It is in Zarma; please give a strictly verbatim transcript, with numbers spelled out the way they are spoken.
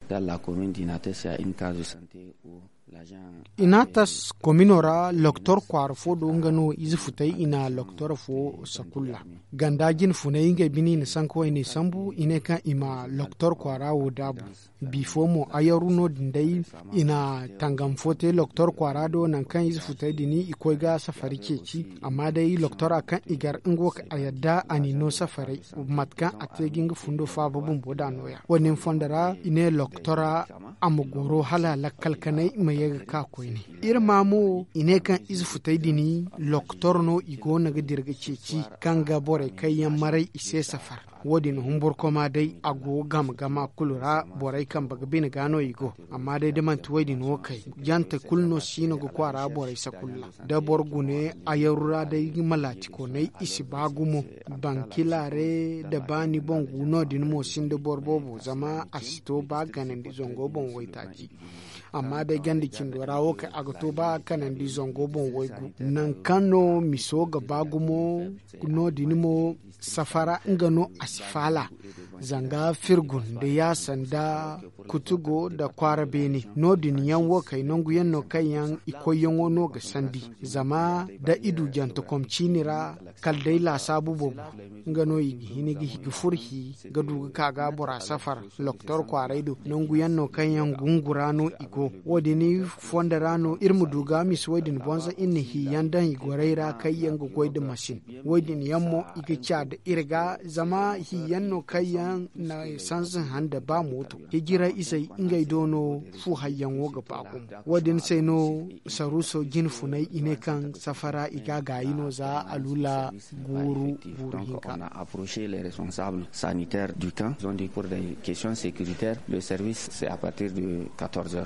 Dans la commune d'inates ya une case de santé. Inatas komino ra loktor kwaara fo do nga no ize futay i na loktor fo sakulla. Ganda jine funay ngey bine i na sanka wayne sambu i ne kaŋ i ma loktor kwaara wo daabu. Bifo mo ayaru no- din day i na tangam fo te loktor kwaara do nangu kaŋ ize futay din i koy ga safari ceeci. Amma day loktora kaŋ i gar nga wo kaŋ a yadda a n'i no safaray mate kaŋ a te ga nga fundo faaba bumbo da nooya wo- din fondo ra i ne loktora a ma goro hala lakkal kanay ma ye ga ka koyne. Iri ma mo i ne kaŋ ize futay din loktor no i go no ga dira ga ceeci kaŋ ga borey kaŋ yaŋ maray i se safar. Wo- din humburkoma day a go game gama kulu ra borey kambe ga bine ga no i go. Amma day da manti wo- din wo kay jante kulu no si no ga kwaara borey sakulla. Da boro gune ayaru ra day malaatikoney i si ba gumo. Bankilare da ba ni boŋ gu no- din mo sinda boro boobo zama a si to ba ganandi zango boŋ waytaaci. Amma day ganda cindo ra wo kay a ga to ba kanandi zango boŋ waygu nangu kaŋ no miso ga ba gumo. No- din mo safara nga no a si faala. Zanga firgun da yaasa nda kutugo nda kwaara beene no- din yaŋ wo kay nangu yaŋ no kaŋ yaŋ i koyyaŋo no ga sandi. Zama da i du jantekom ciini ra kala day laasaabu boobo nga no i ga hin ga furo hi ga du ga ka ga bora safar. Loktor kwaaray do nangu yaŋ no kaŋ yaŋ gungu ra no i go. Wo- din fondo ra no iri ma du ga misi wo- din bonza iri na hi yaŋ daŋ i gorey ra kaŋ yaŋ ga goy nda masin. Wo- din yaŋ mo i ga ca nda iri ga zama hi yaŋ no kaŋ yaŋ na sanza handa ba mooto hijira izey ngey do no fu hayyaŋo ga ba gumo. Wo- din se no saruuso jine funay i ne kaŋ safara i ga gaayi no za aluula guuru guuru hinka. On a approché les responsables sanitaires du camp, ils ont dit pour des questions sécuritaires le service c'est à partir de quatorze heures.